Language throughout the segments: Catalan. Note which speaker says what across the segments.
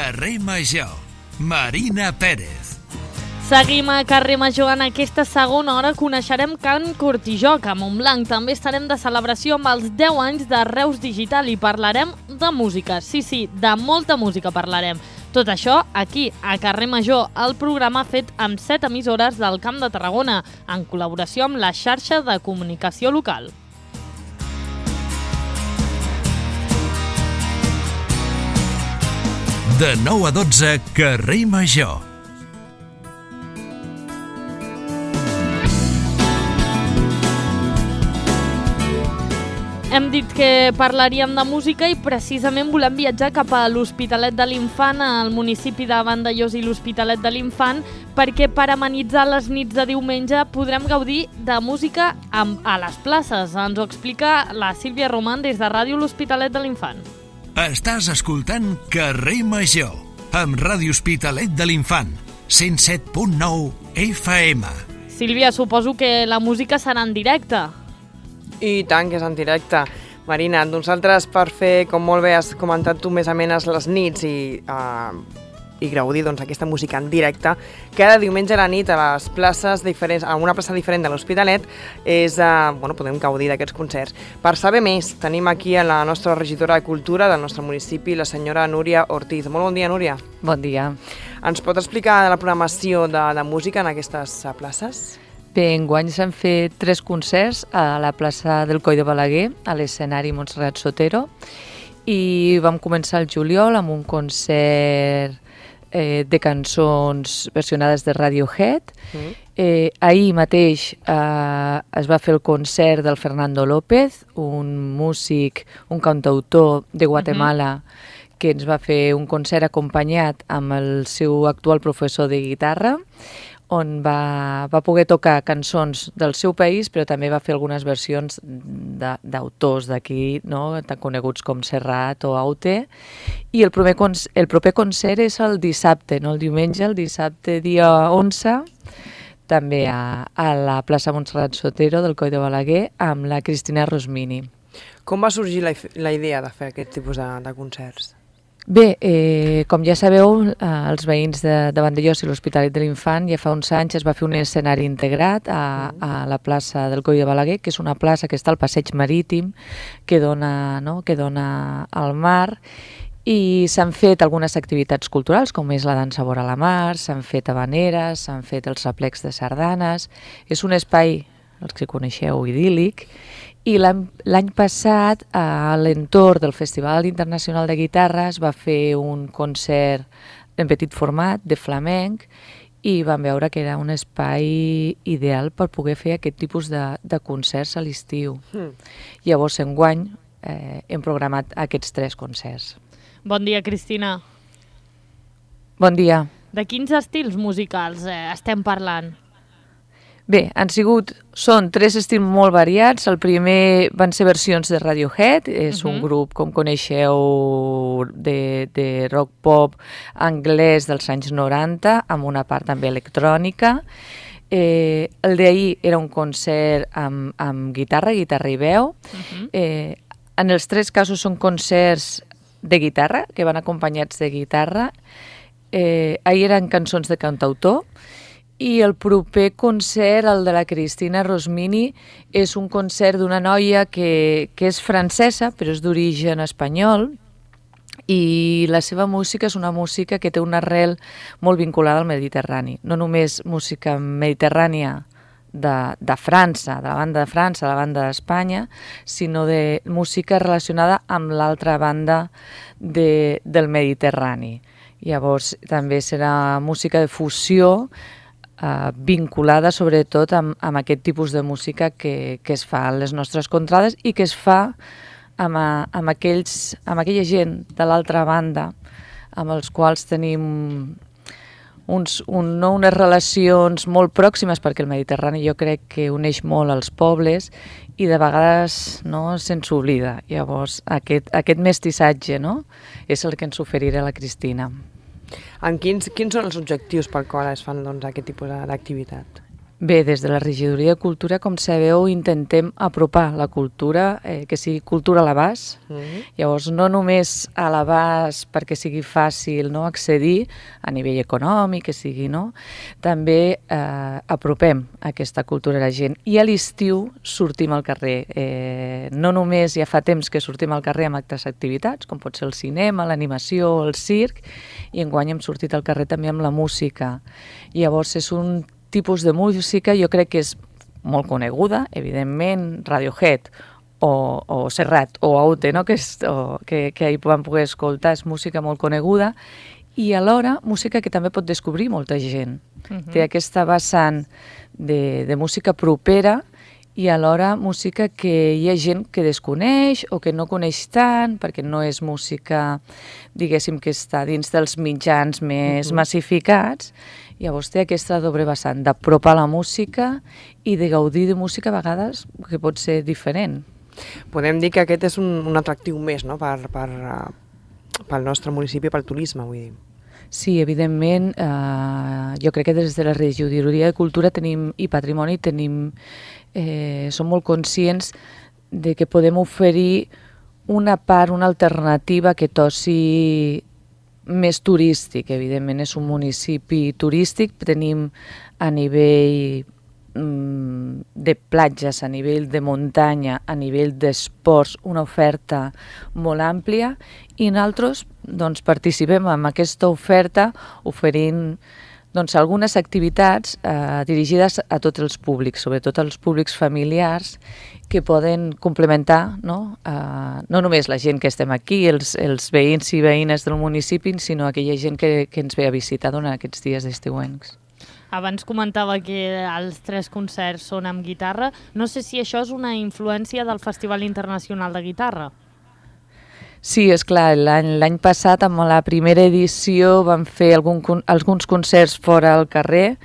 Speaker 1: Carrer Major, Marina Pérez.
Speaker 2: Seguim a Carrer Major. En aquesta segona hora coneixerem Can Cortijoc a Montblanc. També estarem de celebració amb els 10 anys de Reus Digital i parlarem de música. Sí, de molta música parlarem. Tot això aquí, a Carrer Major, el programa fet amb 7 emissores del Camp de Tarragona, en col·laboració amb la xarxa de comunicació local.
Speaker 1: De 9 a 12, Carrer Major.
Speaker 2: Hem dit que parlaríem de música i precisament volem viatjar cap a l'Hospitalet de l'Infant, al municipi de Vandellòs i l'Hospitalet de l'Infant, perquè per amenitzar les nits de diumenge podrem gaudir de música a les places. Ens ho explica la Sílvia Roman des de Ràdio L'Hospitalet de l'Infant.
Speaker 1: Estàs escoltant Carrer Major, amb Ràdio Hospitalet de l'Infant, 107.9 FM.
Speaker 2: Sílvia, suposo que la música serà en directe.
Speaker 3: I tant que és en directe. Marina, nosaltres per fer, com molt bé has comentat tu, més amenes les nits i gaudir aquesta música en directe, cada diumenge a la nit a les places diferents, a una plaça diferent de l'Hospitalet, podem gaudir d'aquests concerts. Per saber més, tenim aquí a la nostra regidora de Cultura del nostre municipi, la senyora Núria Ortiz. Molt bon dia, Núria.
Speaker 4: Bon dia.
Speaker 3: Ens pot explicar la programació de música en aquestes places?
Speaker 4: Bé, enguany s'han fet 3 concerts a la plaça del Coll de Balaguer, a l'escenari Montserrat Sotero, i vam començar el juliol amb un concert de cançons versionades de Radiohead. Ahir mateix es va fer el concert del Fernando López, un músic, un cantautor de Guatemala, que ens va fer un concert acompanyat amb el seu actual professor de guitarra, on va poder tocar cançons del seu país, però també va fer algunes versions d'autors d'aquí, no? Tan coneguts com Serrat o Aute. I el proper concert és el dissabte, no el diumenge, el dissabte dia 11, també a la plaça Montserrat Sotero del Coll de Balaguer, amb la Cristina Rosmini.
Speaker 3: Com va sorgir la idea de fer aquest tipus de concerts?
Speaker 4: Bé, com ja sabeu, els veïns de Vandellòs i l'Hospitalet de l'Infant ja fa uns anys es va fer un escenari integrat a la plaça del Coll de Balaguer, que és una plaça que està al passeig marítim, que dona al mar, i s'han fet algunes activitats culturals, com és la dansa vora la mar, s'han fet habaneres, s'han fet els aplecs de sardanes. És un espai, els que coneixeu, idíl·lic. I l'any passat, a l'entorn del Festival Internacional de Guitarra, es va fer un concert en petit format de flamenc i vam veure que era un espai ideal per poder fer aquest tipus de concerts a l'estiu. Llavors, enguany, hem programat aquests 3 concerts.
Speaker 2: Bon dia, Cristina.
Speaker 4: Bon dia.
Speaker 2: De quins estils musicals estem parlant?
Speaker 4: Bé, són 3 estils molt variats. El primer van ser versions de Radiohead, és un grup, com coneixeu, de rock pop anglès dels anys 90, amb una part també electrònica. El d'ahir era un concert amb guitarra i veu. En els 3 casos són concerts de guitarra, que van acompanyats de guitarra. Ahir eren cançons de cantautor. I el proper concert, el de la Cristina Rosmini, és un concert d'una noia que és francesa, però és d'origen espanyol, i la seva música és una música que té una arrel molt vinculada al Mediterrani. No només música mediterrània de França, de la banda de França, de la banda d'Espanya, sinó de música relacionada amb l'altra banda del Mediterrani. Llavors també serà música de fusió, vinculada sobretot amb aquest tipus de música que es fa a les nostres contrades i que es fa amb aquella gent de l'altra banda amb els quals tenim unes relacions molt pròximes, perquè el Mediterrani jo crec que uneix molt els pobles i de vegades se'ns oblida. Llavors aquest mestissatge és el que ens oferirà la Cristina.
Speaker 3: Quins són els objectius pel qual es fan aquest tipus d'activitat?
Speaker 4: Bé, des de la regidoria de Cultura, com sabeu, intentem apropar la cultura, que sigui cultura a l'abast. Llavors, no només a l'abast perquè sigui fàcil accedir a nivell econòmic, que sigui, no? També apropem aquesta cultura a la gent. I a l'estiu sortim al carrer. No només ja fa temps que sortim al carrer amb altres activitats, com pot ser el cinema, l'animació, el circ, i enguany hem sortit al carrer també amb la música. Llavors, és un tipus de música, jo crec que és molt coneguda, evidentment, Radiohead o Serrat o Aute, no? que ahir vam poder escoltar, és música molt coneguda, i alhora música que també pot descobrir molta gent. Té aquesta vessant de música propera i alhora música que hi ha gent que desconeix o que no coneix tant, perquè no és música, diguéssim, que està dins dels mitjans més massificats. Llavors té aquesta doble vessant d'apropar la música i de gaudir de música a vegades que pot ser diferent.
Speaker 3: Podem dir que aquest és un atractiu més, no?, pel nostre municipi, pel turisme, vull dir.
Speaker 4: Sí, evidentment, jo crec que des de la regidoria de Cultura i Patrimoni som molt conscients de que podem oferir una part, una alternativa que tossi més turístic. Evidentment és un municipi turístic, tenim a nivell de platges, a nivell de muntanya, a nivell d'esports, una oferta molt àmplia, i nosaltres participem en aquesta oferta oferint algunes activitats dirigides a tots els públics, sobretot als públics familiars, que poden complementar no només la gent que estem aquí, els veïns i veïnes del municipi, sinó aquella gent que ens ve a visitar durant aquests dies estiuencs.
Speaker 2: Abans comentava que els 3 concerts són amb guitarra. No sé si això és una influència del Festival Internacional de Guitarra.
Speaker 4: Sí, és clar, l'any passat, amb la primera edició, vam fer alguns concerts fora al carrer,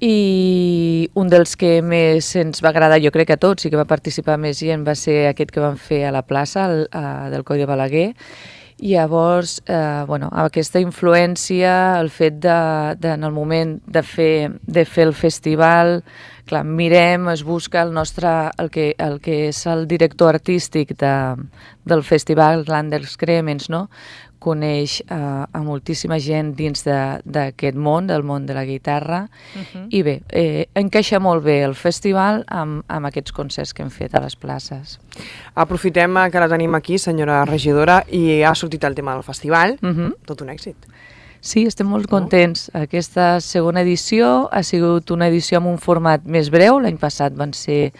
Speaker 4: i un dels que més ens va agradar, jo crec que a tots, i que va participar més gent, va ser aquest que vam fer a la plaça del Coll de Balaguer. Llavors, aquesta influència, el fet en el moment de fer el festival, clar, mirem, es busca el que és el director artístic del festival, l'Anders Cremens, no? Coneix a moltíssima gent dins d'aquest món, del món de la guitarra, i bé, encaixa molt bé el festival amb aquests concerts que hem fet a les places.
Speaker 3: Aprofitem que la tenim aquí, senyora regidora, i ha sortit el tema del festival, tot un èxit.
Speaker 4: Sí, estem molt contents. Aquesta segona edició ha sigut una edició amb un format més breu. L'any passat van ser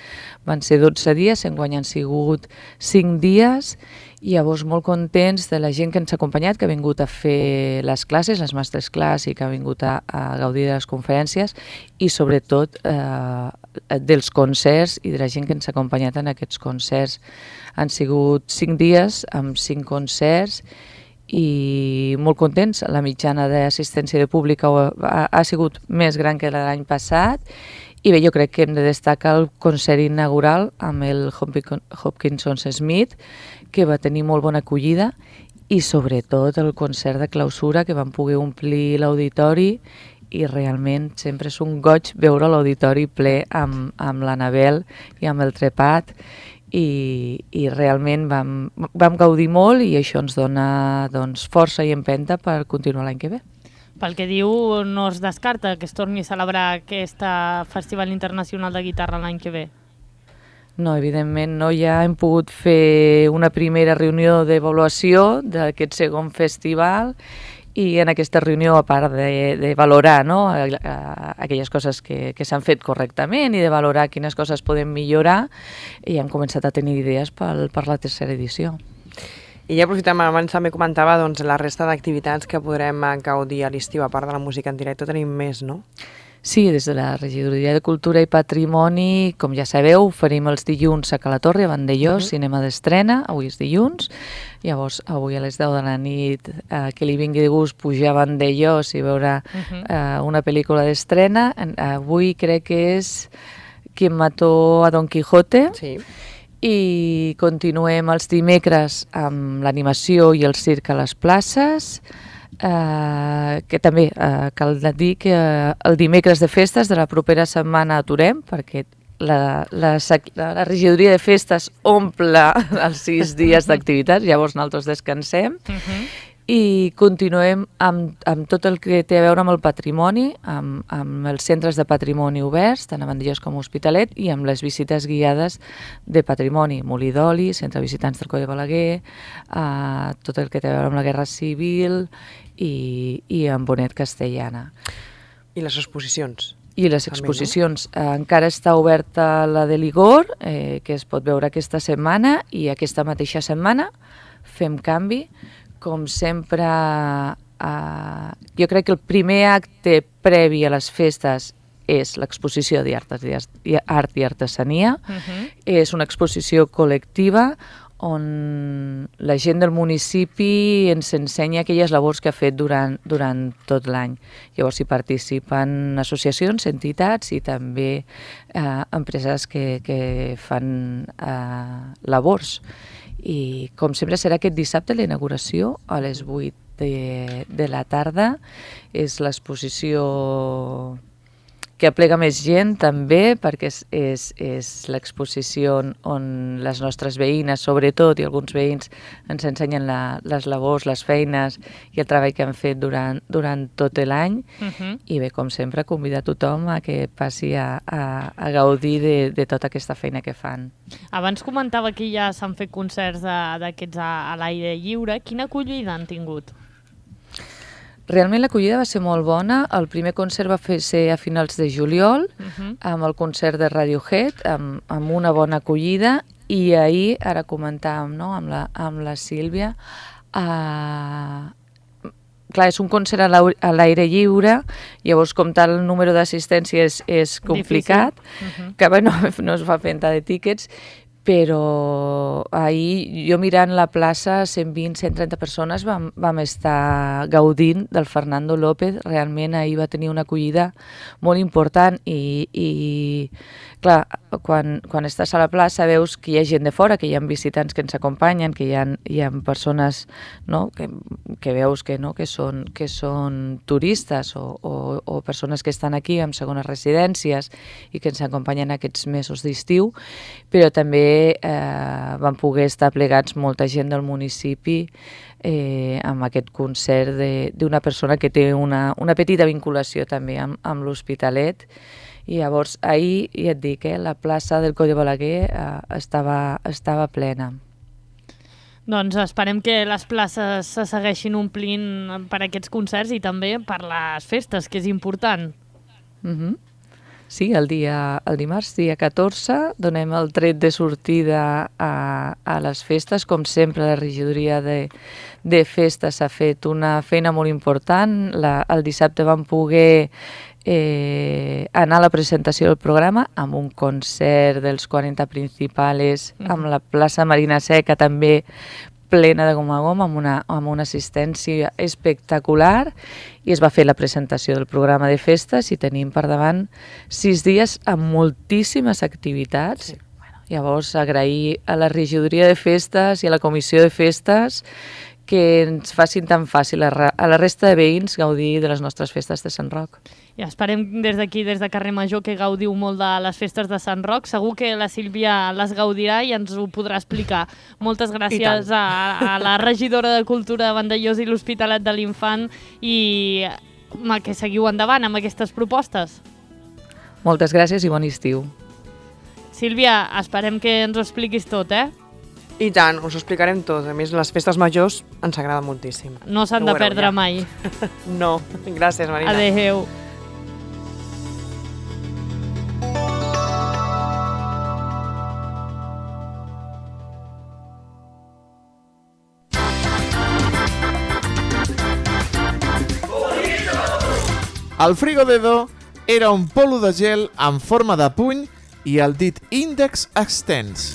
Speaker 4: 12 dies, enguany han sigut 5 dies, i llavors molt contents de la gent que ens ha acompanyat, que ha vingut a fer les classes, les masterclass, i que ha vingut a gaudir de les conferències, i sobretot dels concerts i de la gent que ens ha acompanyat en aquests concerts. Han sigut 5 dies amb 5 concerts, i molt contents. La mitjana d'assistència de públic ha sigut més gran que l'any passat, i bé, jo crec que hem de destacar el concert inaugural amb el Hopkinson Smith, que va tenir molt bona acollida, i sobretot el concert de clausura, que vam poder omplir l'auditori, i realment sempre és un goig veure l'auditori ple amb l'Anabel i amb el Trepat, i realment vam gaudir molt, i això ens dona força i empenta per continuar l'any que ve.
Speaker 2: Pel que diu, no es descarta que es torni a celebrar aquest Festival Internacional de Guitarra l'any que ve?
Speaker 4: No, evidentment no. Ja hem pogut fer una primera reunió d'avaluació d'aquest segon festival, i en aquesta reunió, a part de valorar aquelles coses que s'han fet correctament i de valorar quines coses podem millorar, i hem començat a tenir idees per la tercera edició.
Speaker 3: I ja aprofitem, abans també comentava la resta d'activitats que podrem gaudir a l'estiu, a part de la música en directe, tenim més, no?
Speaker 4: Sí, des de la Regidoria de Cultura i Patrimoni, com ja sabeu, oferim els dilluns a Cala Torre, a Vandellós, cinema d'estrena, avui és dilluns. Llavors, avui a les 10 de la nit, que li vingui de gust pujar a Vandellós i veure una pel·lícula d'estrena. Avui crec que és Quien mató a Don Quijote.
Speaker 3: Sí.
Speaker 4: I continuem els dimecres amb l'animació i el circ a les places. que també cal dir que el dimecres de festes de la propera setmana aturem, perquè la regidoria de festes omple els 6 dies d'activitats, llavors nosaltres descansem i continuem amb tot el que té a veure amb el patrimoni, amb els centres de patrimoni oberts, tant a Vandellòs com a Hospitalet, i amb les visites guiades de patrimoni, Molí d'Oli, Centre de Visitants del Coll de Balaguer, tot el que té a veure amb la Guerra Civil i amb Bonet Castellana.
Speaker 3: I les exposicions?
Speaker 4: I les exposicions. Encara està oberta la de l'Igor, que es pot veure aquesta setmana, i aquesta mateixa setmana fem canvi. Com sempre, jo crec que el primer acte previ a les festes és l'exposició d'art i artesania. És una exposició col·lectiva on la gent del municipi ens ensenya aquelles labors que ha fet durant tot l'any. Llavors hi participen associacions, entitats i també empreses que fan labors. I com sempre serà aquest dissabte la inauguració a les 8 de la tarda. És l'exposició que aplega més gent també, perquè és l'exposició on les nostres veïnes, sobretot, i alguns veïns ens ensenyen les labors, les feines i el treball que han fet durant tot l'any. I bé, com sempre, convidar tothom a que passi a gaudir de tota aquesta feina que fan.
Speaker 2: Abans comentava que ja s'han fet concerts d'aquests a l'aire lliure. Quina acollida han tingut?
Speaker 4: Realment l'acollida va ser molt bona. El primer concert va ser a finals de juliol, amb el concert de Radiohead, amb una bona acollida, i ahir, ara comentàvem, no?, amb la Sílvia, clar, és un concert a l'aire lliure, llavors com tal el número d'assistència és complicat, que bé, no es fa venda de tíquets, però ahir jo mirant la plaça, 120-130 persones vam estar gaudint del Fernando López. Realment ahir va tenir una acollida molt important i clar, quan estàs a la plaça veus que hi ha gent de fora, que hi ha visitants que ens acompanyen, que hi ha persones, no?, que veus que són turistes o persones que estan aquí amb segones residències i que ens acompanyen aquests mesos d'estiu, però també van poder estar plegats molta gent del municipi amb aquest concert d'una persona que té una petita vinculació també amb l'Hospitalet. I llavors ahir, ja et dic, la plaça del Coll de Balaguer estava plena.
Speaker 2: Doncs esperem que les places se segueixin omplint per aquests concerts i també per les festes, que és important.
Speaker 4: Sí, el dimarts, dia 14, donem el tret de sortida a les festes. Com sempre, la regidoria de festes ha fet una feina molt important. El dissabte vam poder anar a la presentació del programa amb un concert dels 40 principals, amb la plaça Marina Seca també plena de gom a gom, amb una assistència espectacular, i es va fer la presentació del programa de festes i tenim per davant 6 dies amb moltíssimes activitats. Llavors, agrair a la regidoria de festes i a la comissió de festes que ens facin tan fàcil a la resta de veïns gaudir de les nostres festes de Sant Roc.
Speaker 2: Ja esperem des d'aquí, des de Carrer Major, que gaudiu molt de les festes de Sant Roc. Segur que la Sílvia les gaudirà i ens ho podrà explicar. Moltes gràcies a la regidora de Cultura de Vandellòs i l'Hospitalet de l'Infant, i que seguiu endavant amb aquestes propostes.
Speaker 4: Moltes gràcies i bon estiu.
Speaker 2: Sílvia, esperem que ens ho expliquis tot,
Speaker 3: I tant, us ho explicarem tot. A més, les festes majors ens agrada moltíssim.
Speaker 2: No s'han de perdre mai.
Speaker 3: No, gràcies, Marina.
Speaker 2: Adéu.
Speaker 5: El Frigodedo era un polo de gel en forma de puny i el dit índex extens.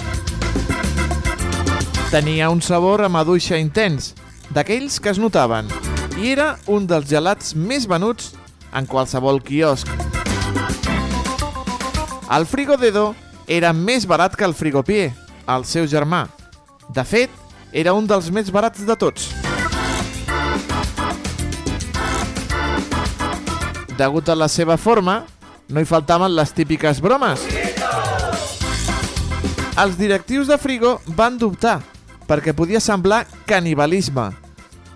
Speaker 5: Tenia un sabor a maduixa intens, d'aquells que es notaven, i era un dels gelats més venuts en qualsevol quiosc. El Frigodedo era més barat que el Frigopié, el seu germà. De fet, era un dels més barats de tots. degut a la seva forma, no hi faltaven les típiques bromes. Els directius de Frigo van dubtar, perquè podia semblar canibalisme,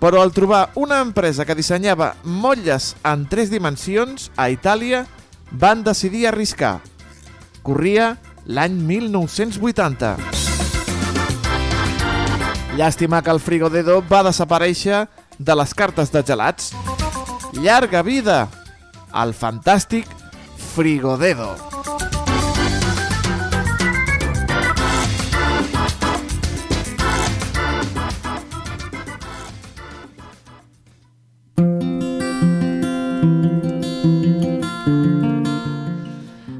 Speaker 5: però al trobar una empresa que dissenyava motlles en 3 dimensions a Itàlia, van decidir arriscar. Corria l'any 1980. Llàstima que el Frigodedo va desaparèixer de les cartes de gelats. Llarga vida al fantàstic Frigodedo.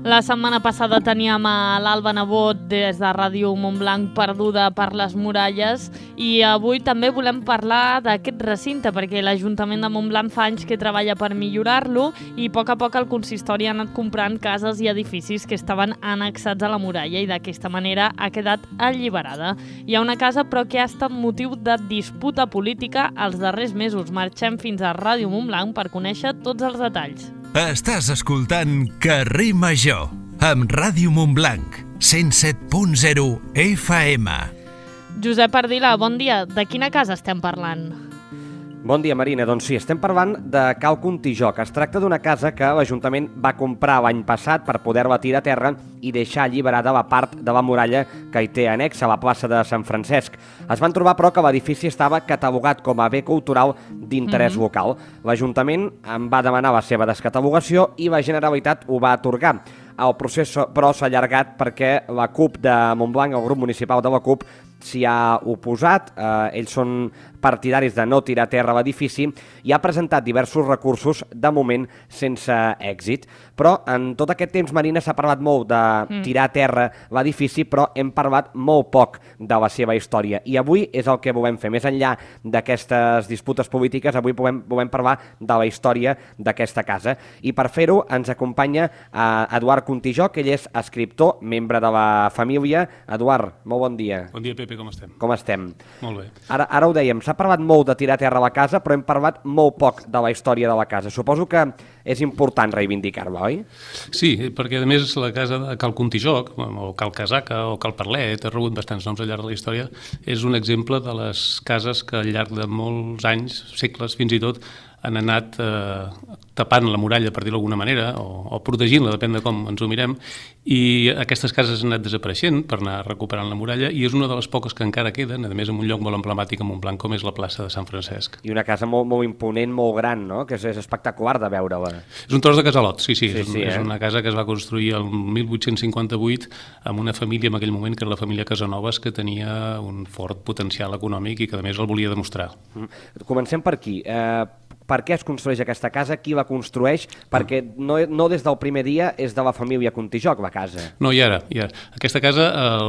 Speaker 2: La setmana passada teníem a l'Alba Nebot des de Ràdio Montblanc perduda per les muralles i avui també volem parlar d'aquest recinte perquè l'Ajuntament de Montblanc fa anys que treballa per millorar-lo i a poc el consistori ha anat comprant cases i edificis que estaven annexats a la muralla i d'aquesta manera ha quedat alliberada. Hi ha una casa però que ha estat motiu de disputa política els darrers mesos. Marxem fins a Ràdio Montblanc per conèixer tots els detalls.
Speaker 1: Estàs escoltant Carrer Major, amb Ràdio Montblanc, 107.0 FM.
Speaker 2: Josep Ardila, bon dia. De quina casa estem parlant?
Speaker 6: Bon dia, Marina. Doncs sí, estem parlant de Cal Contijoc. Es tracta d'una casa que l'Ajuntament va comprar l'any passat per poder-la tirar a terra i deixar alliberada la part de la muralla que hi té anexa a la plaça de Sant Francesc. Es van trobar, però, que l'edifici estava catalogat com a bé cultural d'interès local. L'Ajuntament en va demanar la seva descatalogació i la Generalitat ho va atorgar. El procés, però, s'ha allargat perquè la CUP de Montblanc, el grup municipal de la CUP, s'hi ha oposat. Ells són partidaris de no tirar a terra l'edifici i ha presentat diversos recursos, de moment sense èxit. Però en tot aquest temps, Marina, s'ha parlat molt de tirar a terra l'edifici, però hem parlat molt poc de la seva història. I avui és el que volem fer. Més enllà d'aquestes disputes polítiques, avui volem parlar de la història d'aquesta casa. I per fer-ho ens acompanya Eduard Contijoc, ell és escriptor, membre de la família. Eduard, molt bon dia.
Speaker 7: Bon dia, Pepe, com estem?
Speaker 6: Com estem?
Speaker 7: Molt bé.
Speaker 6: Ara ho dèiem, s'ha parlat molt de tirar a terra la casa, però hem parlat molt poc de la història de la casa. Suposo que és important reivindicar-la, oi?
Speaker 7: Sí, perquè a més la casa de Cal Contijoc, o Cal Casaca, o Cal Parlet, ha rebut bastants noms al llarg de la història, és un exemple de les cases que al llarg de molts anys, segles fins i tot, han anat tapant la muralla, per dir-ho d'alguna manera, o protegint-la, depèn de com ens ho mirem, i aquestes cases han anat desapareixent per anar recuperant la muralla, i és una de les poques que encara queden, a més en un lloc molt emblemàtic a Montblanc, com és la plaça de Sant Francesc.
Speaker 6: I una casa molt, molt imponent, molt gran, no? Que és espectacular de veure-la.
Speaker 7: És un tros de casalot, sí. És una casa que es va construir el 1858 amb una família en aquell moment, que era la família Casanovas, que tenia un fort potencial econòmic i que a més el volia demostrar.
Speaker 6: Comencem per aquí. Per què es construeix aquesta casa? Qui la construeix? Perquè no des del primer dia és de la família Contijoc, la casa.
Speaker 7: No, i ara. Aquesta casa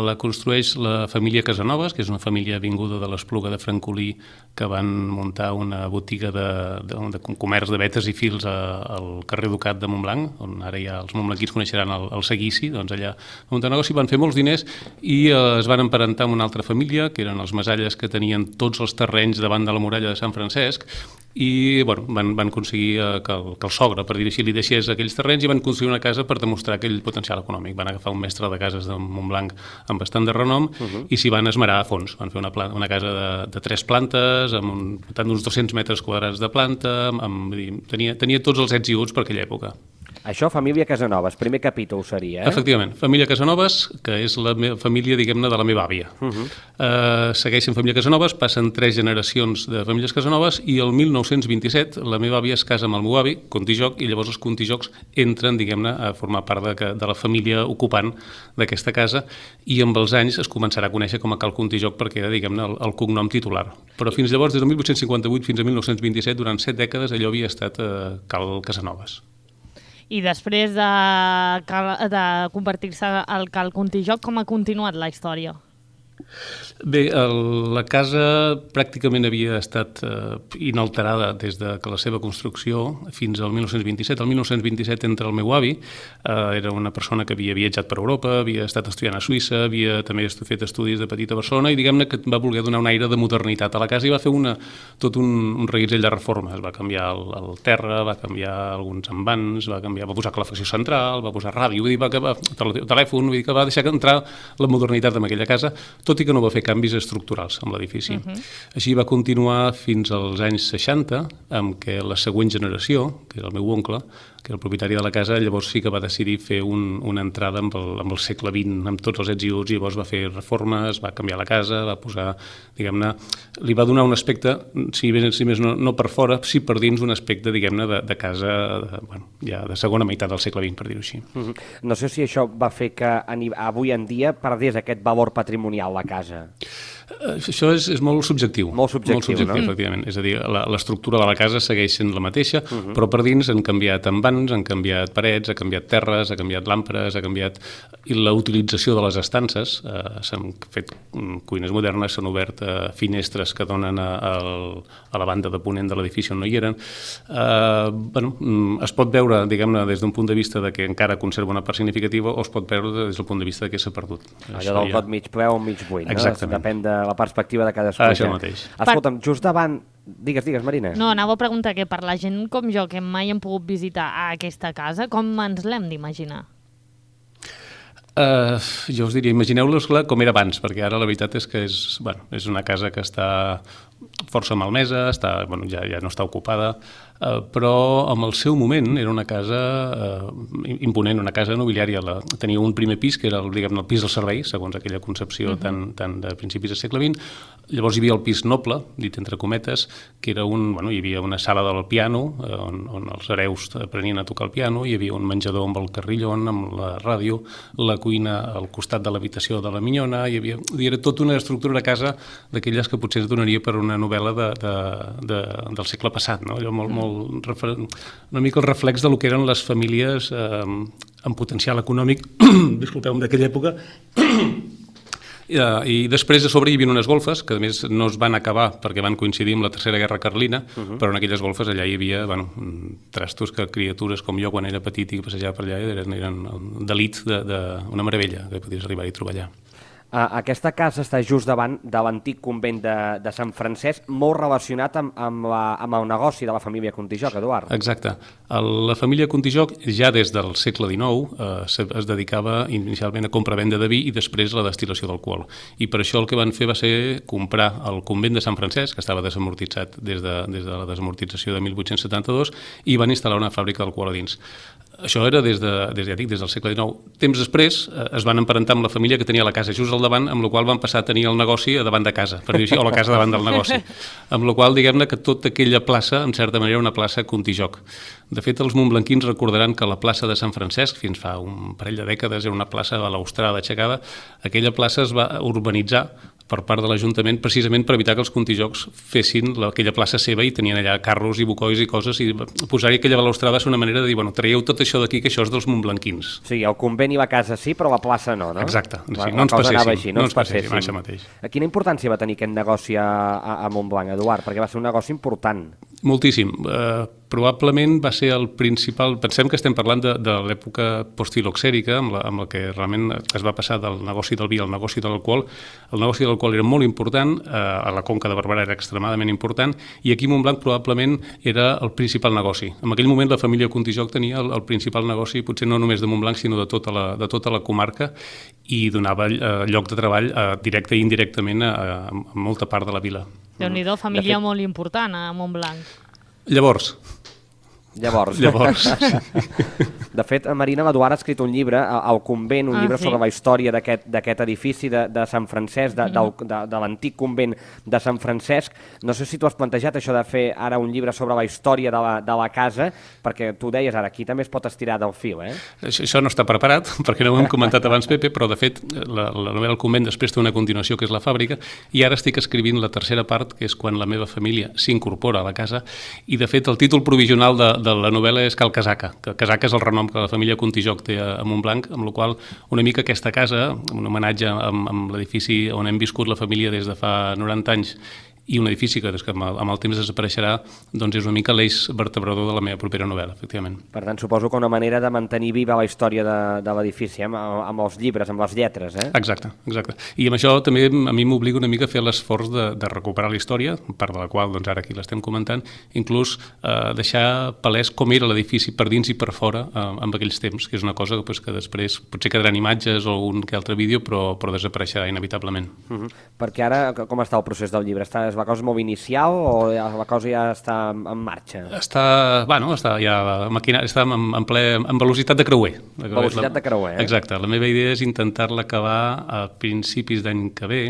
Speaker 7: la construeix la família Casanovas, que és una família vinguda de l'Espluga de Francolí, que van muntar una botiga de comerç de vetes i fils al carrer Ducat de Montblanc, on ara ja els montblanquins coneixeran el Seguici, doncs allà a muntar negoci, van fer molts diners i es van emparentar amb una altra família, que eren els Masalles, que tenien tots els terrenys davant de la muralla de Sant Francesc, i van aconseguir que el sogre, per dir-ho així, li deixés aquells terrenys i van construir una casa per demostrar aquell potencial econòmic. Van agafar un mestre de cases de Montblanc amb bastant de renom i s'hi van esmerar a fons. Van fer una casa de 3 plantes, amb d'uns 200 metres quadrats de planta, tenia tots els ets i uts per aquella època.
Speaker 6: Això, família Casanovas, primer capítol seria, eh?
Speaker 7: Efectivament, família Casanovas, que és la família, diguem-ne, de la meva àvia. Segueixen família Casanovas, passen 3 generacions de famílies Casanovas i el 1927 la meva àvia es casa amb el meu avi, Contijoc, i llavors els Contijocs entren, diguem-ne, a formar part de la família ocupant d'aquesta casa i amb els anys es començarà a conèixer com a Cal Contijoc perquè era, diguem-ne, el cognom titular. Però fins llavors, des del 1858 fins a 1927, durant 7 dècades, allò havia estat Cal Casanovas.
Speaker 2: I després de convertir-se al Cal Contijoc, com ha continuat la història?
Speaker 7: Bé, la casa pràcticament havia estat inalterada des de que la seva construcció fins al 1927. El 1927 entra el meu avi, era una persona que havia viatjat per Europa, havia estat estudiant a Suïssa, havia també fet estudis de petit a Barcelona i diguem-ne que va voler donar un aire de modernitat a la casa i va fer tot un reguitzell de reformes. Va canviar el terra, va canviar alguns envans, va posar calefacció central, va posar ràdio, vull dir, telèfon, vull dir que va deixar entrar la modernitat en aquella casa, tot i que no va fer canvis estructurals amb l'edifici. Així va continuar fins als anys 60, amb què la següent generació, que era el meu oncle, que era el propietari de la casa, llavors sí que va decidir fer una entrada amb el segle XX, amb tots els ets i uts, i llavors va fer reformes, va canviar la casa, va posar, diguem-ne, li va donar un aspecte, si més no per fora, sí per dins un aspecte, diguem-ne, de casa ja de segona meitat del segle XX, per dir-ho així.
Speaker 6: No sé si això va fer que avui en dia perdés aquest valor patrimonial la casa.
Speaker 7: Això és molt subjectiu.
Speaker 6: Molt subjectiu, no?
Speaker 7: Efectivament. És a dir, l'estructura de la casa segueix sent la mateixa, però per dins han canviat envans, han canviat parets, ha canviat terres, ha canviat làmperes, ha canviat... I la utilització de les estances, s'han fet cuines modernes, s'han obert finestres que donen a la banda de ponent de l'edifici on no hi eren. Es pot veure, diguem-ne, des d'un punt de vista de que encara conserva una part significativa o es pot veure des del punt de vista de que s'ha perdut.
Speaker 6: Allò del got mig ple o mig buit, no?
Speaker 7: Exactament.
Speaker 6: Depèn de la perspectiva de cadascú.
Speaker 7: Això mateix.
Speaker 6: Escolta'm, just davant... Digues, Marina.
Speaker 2: No, anava a preguntar que per la gent com jo, que mai hem pogut visitar aquesta casa, com ens l'hem d'imaginar?
Speaker 7: Jo us diria, imagineu-los-la com era abans, perquè ara la veritat és que és una casa que està força malmesa, ja no està ocupada, però en el seu moment era una casa imponent, una casa nobiliària. Tenia un primer pis, que era el pis del servei, segons aquella concepció tan de principis del segle XX. Llavors hi havia el pis noble, dit entre cometes, que era hi havia una sala del piano, on els hereus aprenien a tocar el piano, hi havia un menjador amb el carrillon, amb la ràdio, la cuina al costat de l'habitació de la minyona, era tota una estructura de casa d'aquelles que potser es donaria per una novel·la del segle passat, no? Una mica el reflex del que eren les famílies amb potencial econòmic, disculpeu-me, d'aquella època. I després a sobre hi havia unes golfes que a més no es van acabar perquè van coincidir amb la Tercera Guerra Carlina, però en aquelles golfes allà hi havia trastos que criatures com jo quan era petit i passejava per allà eren d'elit, una meravella que podies arribar-hi a trobar allà.
Speaker 6: Aquesta casa està just davant de l'antic convent de Sant Francesc, molt relacionat amb el negoci de la família Contijoch, Eduard.
Speaker 7: Exacte. La família Contijoch ja des del segle XIX es dedicava inicialment a compra-venda de vi i després a la destil·lació d'alcohol. I per això el que van fer va ser comprar el convent de Sant Francesc, que estava desamortitzat des de la desamortització de 1872, i van instal·lar una fàbrica d'alcohol a dins. Això era des del segle XIX. Temps després es van emparentar amb la família que tenia la casa just al davant, amb la qual van passar a tenir el negoci a davant de casa, per dir així, o la casa davant del negoci. Amb la qual, diguem-ne, que tota aquella plaça, en certa manera, era una plaça Contijoch. De fet, els montblanquins recordaran que la plaça de Sant Francesc, fins fa un parell de dècades, era una plaça balaustrada, aixecada. Aquella plaça es va urbanitzar per part de l'Ajuntament precisament per evitar que els Contijochs fessin aquella plaça seva i tenien allà carros i bucois i coses, i posar-hi aquella balaustrada és una manera de dir, traieu tot això d'aquí, que això és dels montblanquins.
Speaker 6: Sí, el convent i la casa sí, però la plaça no, no?
Speaker 7: Exacte, no ens passéssim, això mateix.
Speaker 6: Quina importància va tenir aquest negoci a Montblanc, Eduard? Perquè va ser un negoci important.
Speaker 7: Moltíssim. Probablement va ser el principal... Pensem que estem parlant de l'època postfiloxèrica, amb la que realment es va passar del negoci del vi al negoci de l'alcohol. El negoci de l'alcohol era molt important, a la Conca de Barberà era extremadament important, i aquí a Montblanc probablement era el principal negoci. En aquell moment la família Contijoch tenia el principal negoci, potser no només de Montblanc, sinó de tota la comarca, i donava lloc de treball directe i indirectament a molta part de la vila.
Speaker 2: Déu-n'hi-do, família molt important a Montblanc.
Speaker 7: Llavors.
Speaker 6: De fet, Marina, l'Eduard ha escrit un llibre, El convent, un llibre sobre la història d'aquest edifici de Sant Francesc, de l'antic convent de Sant Francesc. No sé si tu has plantejat això de fer ara un llibre sobre la història de la casa, perquè tu deies ara, aquí també es pot estirar del fil, eh?
Speaker 7: Això no està preparat, perquè no ho hem comentat abans, Pepe, però de fet la novel·la El convent després té una continuació, que és la fàbrica, i ara estic escrivint la tercera part, que és quan la meva família s'incorpora a la casa, i de fet el títol provisional de de la novel·la és Cal Casaca, que Casaca és el renom que la família Contijoch té a Montblanc, amb la qual una mica aquesta casa, un homenatge amb l'edifici on hem viscut la família des de fa 90 anys, i un edifici que amb el temps desapareixerà, doncs és una mica l'eix vertebrador de la meva propera novel·la, efectivament.
Speaker 6: Per tant, suposo que una manera de mantenir viva la història de l'edifici, amb els llibres, amb les lletres, eh?
Speaker 7: Exacte. I amb això també a mi m'obliga una mica a fer l'esforç de recuperar la història, part de la qual doncs, ara aquí l'estem comentant, inclús deixar palès com era l'edifici per dins i per fora amb aquells temps, que és una cosa que després potser quedaran imatges o un que altre vídeo, però desapareixerà inevitablement.
Speaker 6: Perquè ara, com està el procés del llibre? És la cosa molt inicial o la cosa ja està en marxa?
Speaker 7: Està ja està en velocitat de creuer.
Speaker 6: Velocitat de creuer, eh?
Speaker 7: Exacte. La meva idea és intentar-la acabar a principis d'any que ve.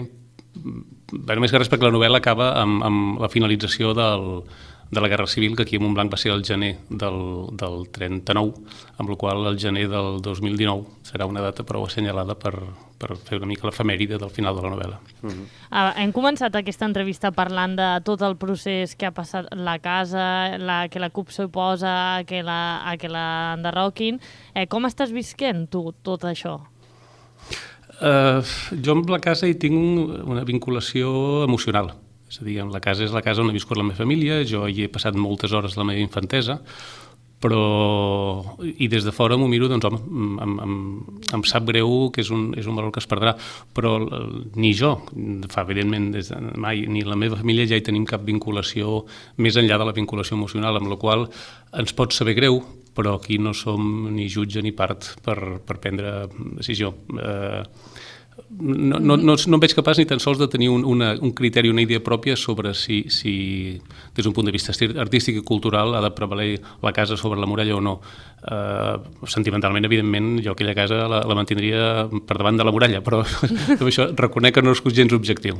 Speaker 7: Més que res perquè la novel·la acaba amb la finalització de la Guerra Civil, que aquí a Montblanc va ser el gener del 39, amb la qual el gener del 2019 serà una data prou assenyalada per fer una mica l'efemèride del final de la novel·la.
Speaker 2: Hem començat aquesta entrevista parlant de tot el procés que ha passat la casa, que la CUP s'oposa, que la enderroquin. Com estàs visquent tu tot això?
Speaker 7: Jo amb la casa hi tinc una vinculació emocional. És a dir, la casa és la casa on he viscut la meva família, jo hi he passat moltes hores la meva infantesa, i des de fora m'ho miro, doncs home, em sap greu que és un valor que es perdrà, però ni jo, evidentment, mai, ni la meva família ja hi tenim cap vinculació més enllà de la vinculació emocional, amb la qual ens pot saber greu, però aquí no som ni jutge ni part per prendre decisió. No em veig capaç ni tan sols de tenir un criteri, una idea pròpia sobre si des d'un punt de vista artístic i cultural ha de prevaler la casa sobre la muralla o no. Sentimentalment, evidentment, jo aquella casa la mantindria per davant de la muralla, però amb això reconec que no és gens objectiu.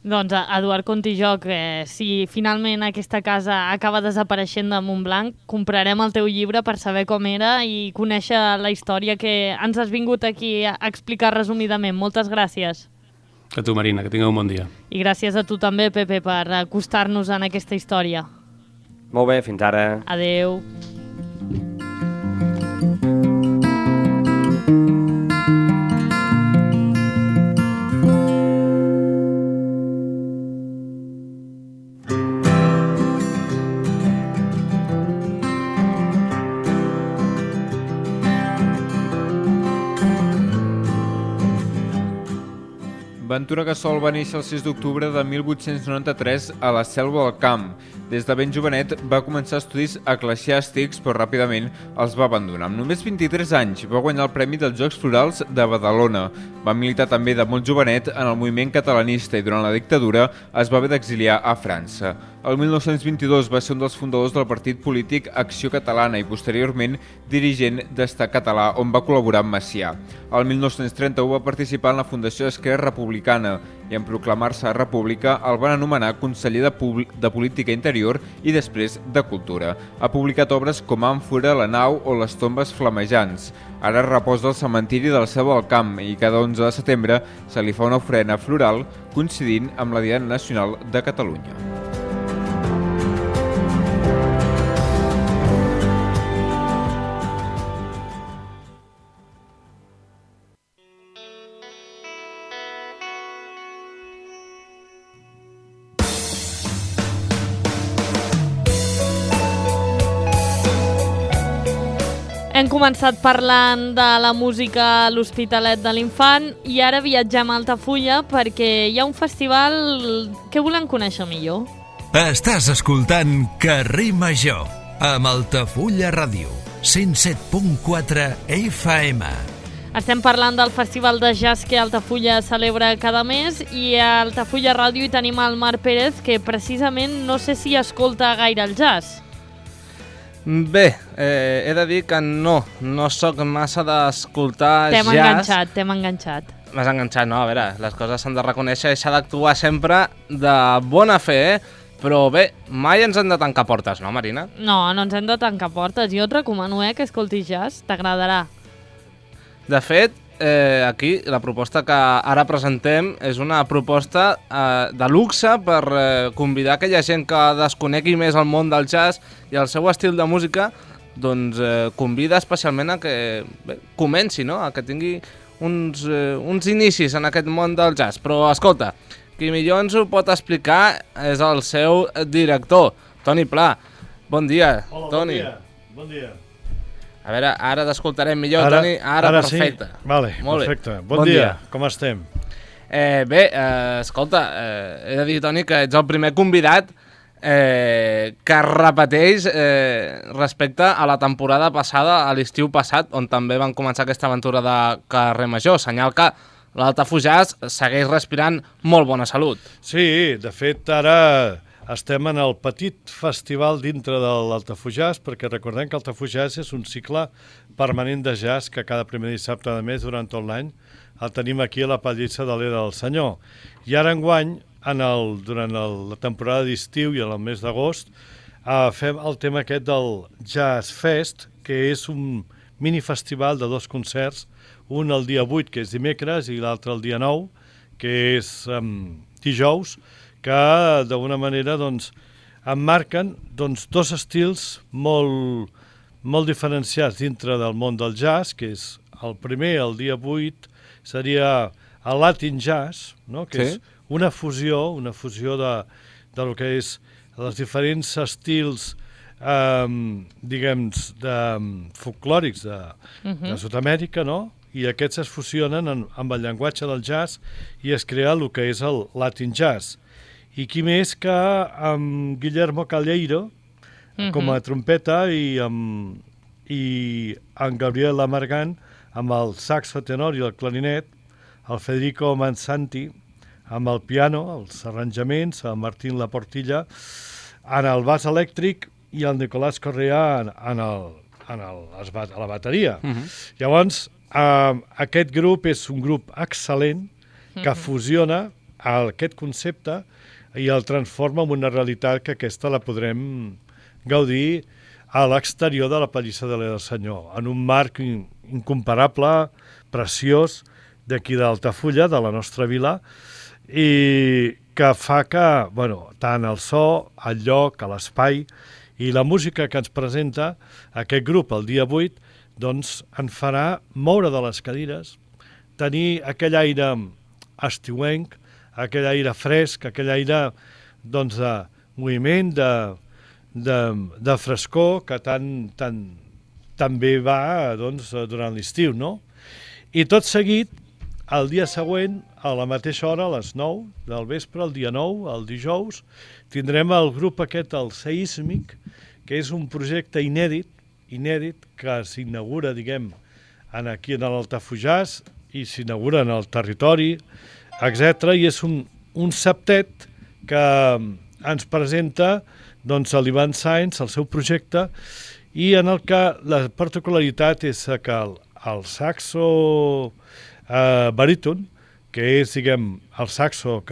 Speaker 2: Doncs, Eduard Contijoch, si finalment aquesta casa acaba desapareixent de Montblanc, comprarem el teu llibre per saber com era i conèixer la història que ens has vingut aquí a explicar resumidament. Moltes gràcies.
Speaker 7: A tu, Marina, que tingueu un bon dia.
Speaker 2: I gràcies a tu també, Pepe, per acostar-nos en aquesta història.
Speaker 6: Molt bé, fins ara.
Speaker 2: Adeu.
Speaker 8: Ventura Gassol va néixer el 6 d'octubre de 1893 a la Selva del Camp. Des de ben jovenet va començar estudis eclesiàstics, però ràpidament els va abandonar. Amb només 23 anys va guanyar el Premi dels Jocs Florals de Badalona. Va militar també de molt jovenet en el moviment catalanista i durant la dictadura es va haver d'exiliar a França. El 1922 va ser un dels fundadors del partit polític Acció Catalana i posteriorment dirigent d'Estat Català, on va col·laborar amb Macià. El 1931 va participar en la fundació d'Esquerra Republicana i en proclamar-se república el van anomenar conseller de Política Interior i després de Cultura. Ha publicat obres com Àmfora, La nau o Les tombes flamejants. Ara reposa al cementiri del Selva del Camp i cada 11 de setembre se li fa una ofrena floral coincidint amb la Diada Nacional de Catalunya.
Speaker 2: Hem començat parlant de la música a l'Hospitalet de l'Infant i ara viatgem a Altafulla perquè hi ha un festival que volem conèixer millor.
Speaker 1: Estàs escoltant Carrer Major amb Altafulla Ràdio, 107.4 FM.
Speaker 2: Estem parlant del Festival de Jazz que Altafulla celebra cada mes i a Altafulla Ràdio hi tenim el Marc Pérez, que precisament no sé si escolta gaire el jazz.
Speaker 9: Bé, he de dir que no sóc massa d'escoltar jazz.
Speaker 2: T'hem enganxat.
Speaker 9: M'has enganxat, no? A veure, les coses s'han de reconèixer i s'ha d'actuar sempre de bona fe, però bé, mai ens hem de tancar portes, no, Marina?
Speaker 2: No ens hem de tancar portes. Jo et recomano que escoltis jazz, t'agradarà.
Speaker 9: De fet, aquí la proposta que ara presentem és una proposta de luxe per convidar aquella gent que desconegui més el món del jazz i el seu estil de música, doncs convida especialment a que comenci, no? A que tingui uns inicis en aquest món del jazz. Però escolta, qui millor ens ho pot explicar és el seu director, Toni Pla. Bon dia,
Speaker 10: hola,
Speaker 9: Toni.
Speaker 10: Bon dia.
Speaker 9: A veure, ara t'escoltarem millor, Toni. Ara perfecte.
Speaker 10: Sí? Vale,
Speaker 9: molt
Speaker 10: perfecte. Bon dia, com estem?
Speaker 9: Bé, escolta, he de dir, Toni, que ets el primer convidat que repeteix respecte a la temporada passada, a l'estiu passat, on també van començar aquesta aventura de Carrer Major. Senyal que l'Altafujàs segueix respirant molt bona salut.
Speaker 10: Sí, de fet, ara estem en el petit festival dintre de l'Altafujàs, perquè recordem que l'Altafujàs és un cicle permanent de jazz que cada primer dissabte de mes durant tot l'any el tenim aquí a la Pallissa de l'Era del Senyor. I ara enguany, durant la temporada d'estiu i en el mes d'agost, fem el tema aquest del Jazz Fest, que és un minifestival de 2 concerts, un el dia 8, que és dimecres, i l'altre el dia 9, que és dijous, que d'alguna manera emmarquen 2 estils molt diferenciats dintre del món del jazz, que és el primer, el dia 8, seria el Latin Jazz, no? Que és una fusió de lo que és els diferents estils diguem, folclòrics de Sud-amèrica, no? I aquests es fusionen amb el llenguatge del jazz i es crea el que és el Latin Jazz. I qui més que amb Guillermo Calleiro com a trompeta i amb Gabriel Amargant amb el saxo tenor i el clarinet, el Federico Mansanti amb el piano, els arranjaments, el Martín Laportilla en el baix elèctric i el Nicolás Correa a la bateria. Llavors, aquest grup és un grup excel·lent que fusiona aquest concepte i el transforma en una realitat que aquesta la podrem gaudir a l'exterior de la Pallissa de l'Era del Senyor, en un marc incomparable, preciós, d'aquí d'Altafulla, de la nostra vila, i que fa que, tant el so, el lloc, l'espai i la música que ens presenta aquest grup el dia 8, doncs en farà moure de les cadires, tenir aquell aire estiuenc, aquell aire fresc, aquell aire de moviment, de frescor que tan bé va durant l'estiu, no? I tot seguit, el dia següent, a la mateixa hora, a les 9 del vespre, el dia 9, el dijous, tindrem el grup aquest, el Seísmic, que és un projecte inèdit que s'inaugura, diguem, aquí en l'Altafujàs i s'inaugura en el territori, etc. I és un septet que ens presenta l'Ivan Sainz, el seu projecte, i en el que la particularitat és que el saxo baríton, que és, diguem, el saxo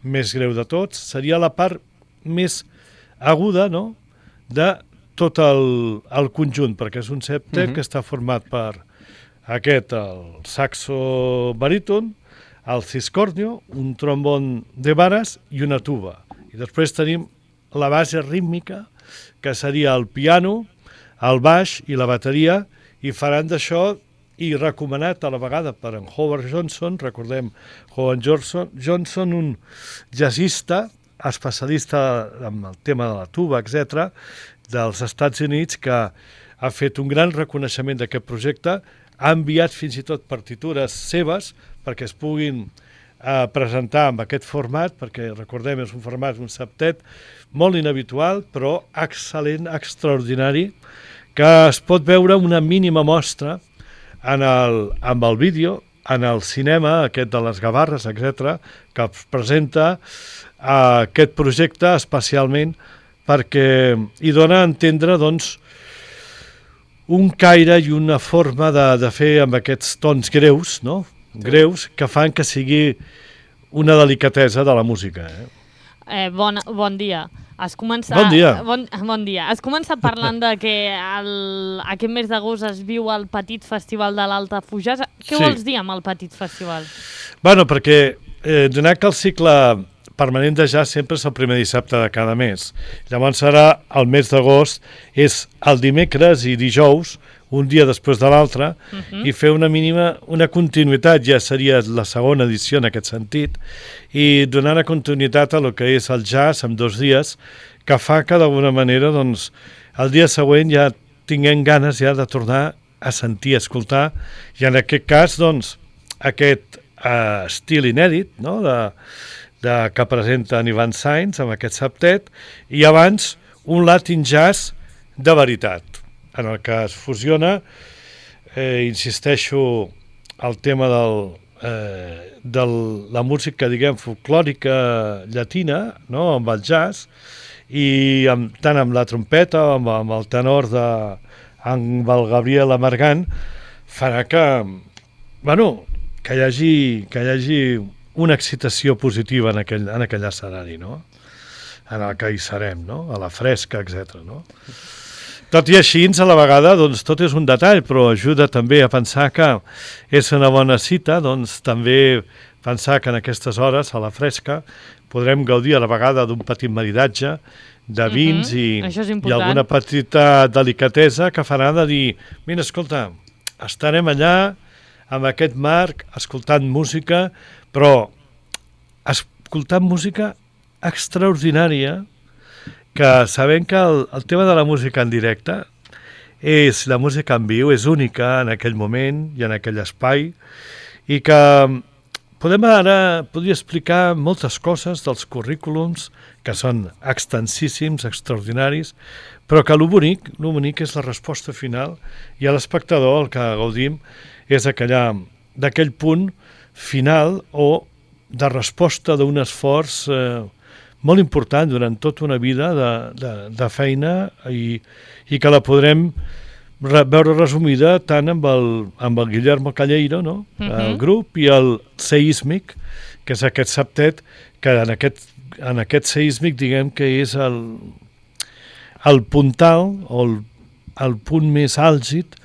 Speaker 10: més greu de tots, seria la part més aguda, no?, de tot el conjunt, perquè és un septet que està format per el saxo baríton, el ciscornio, un trombon de vares i una tuba. I després tenim la base rítmica, que seria el piano, el baix i la bateria, i faran d'això, i recomanat a la vegada per en Howard Johnson, recordem Howard Johnson, un jazzista, especialista en el tema de la tuba, etc., dels Estats Units, que ha fet un gran reconeixement d'aquest projecte, ha enviat fins i tot partitures seves perquè es puguin presentar amb aquest format, perquè recordem, és un format, un septet, molt inhabitual, però excel·lent, extraordinari, que es pot veure una mínima mostra amb el vídeo, en el cinema, aquest de les Gavarres, etc., que es presenta aquest projecte especialment perquè hi dona a entendre, doncs, un caire i una forma de fer amb aquests tons greus, no? Greus, que fan que sigui una delicatesa de la música.
Speaker 2: Bon dia.
Speaker 10: Bon dia.
Speaker 2: Bon dia. Has començat parlant de que aquest mes d'agost es viu el petit festival de l'Altafulla. Què vols dir amb el petit festival?
Speaker 10: Bueno, perquè donat que el cicle permanent de jazz sempre és el primer dissabte de cada mes. Llavors serà el mes d'agost, és el dimecres i dijous, un dia després de l'altre, i fer una continuïtat, ja seria la segona edició en aquest sentit, i donar una continuïtat a lo que és el jazz en 2 dies, que fa que d'alguna manera doncs, el dia següent ja tinguem ganes ja de tornar a sentir, a escoltar, i en aquest cas doncs, aquest estil inèdit, no?, que presenta Ivan Sainz amb aquest septet, i abans un Latin jazz de veritat, en el que es fusiona, insisteixo, el tema de la música, diguem, folclòrica llatina, no?, amb el jazz, i tant amb la trompeta, amb el tenor amb el Gabriel Amargant, farà que, bueno, que hi hagi una excitació positiva en aquell escenari, no?, en el que hi serem, no?, a la fresca, etc. No? Tot i així, a la vegada, doncs, tot és un detall, però ajuda també a pensar que és una bona cita, doncs també pensar que en aquestes hores, a la fresca, podrem gaudir a la vegada d'un petit maridatge de vins i alguna petita delicatesa que farà de dir, mira, escolta, estarem allà amb aquest marc, escoltant música, però escoltant música extraordinària, que sabem que el tema de la música en directe és la música en viu, és única en aquell moment i en aquell espai, i que podria explicar moltes coses dels currículums que són extensíssims, extraordinaris, però que lo bonic és la resposta final, i a l'espectador el que gaudim és d'aquell punt final o de resposta d'un esforç molt important durant tota una vida de feina i que la podrem veure resumida tant amb el Guillermo Calleiro, no? El grup, i el Seísmic, que és aquest septet, que en aquest Seísmic diguem que és el puntal o el punt més àlgid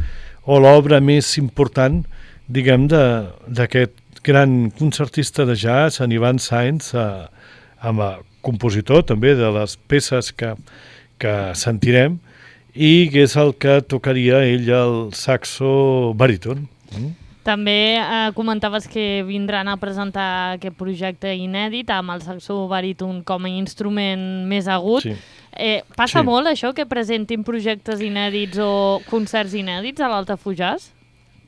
Speaker 10: o l'obra més important, diguem, d'aquest gran concertista de jazz, en Ivan Sainz, amb el compositor també de les peces que sentirem, i que és el que tocaria ell el saxo baríton.
Speaker 2: També comentaves que vindran a presentar aquest projecte inèdit amb el saxo baríton com a instrument més agut. Passa molt això, que presentin projectes inèdits o concerts inèdits a l'Altafulla?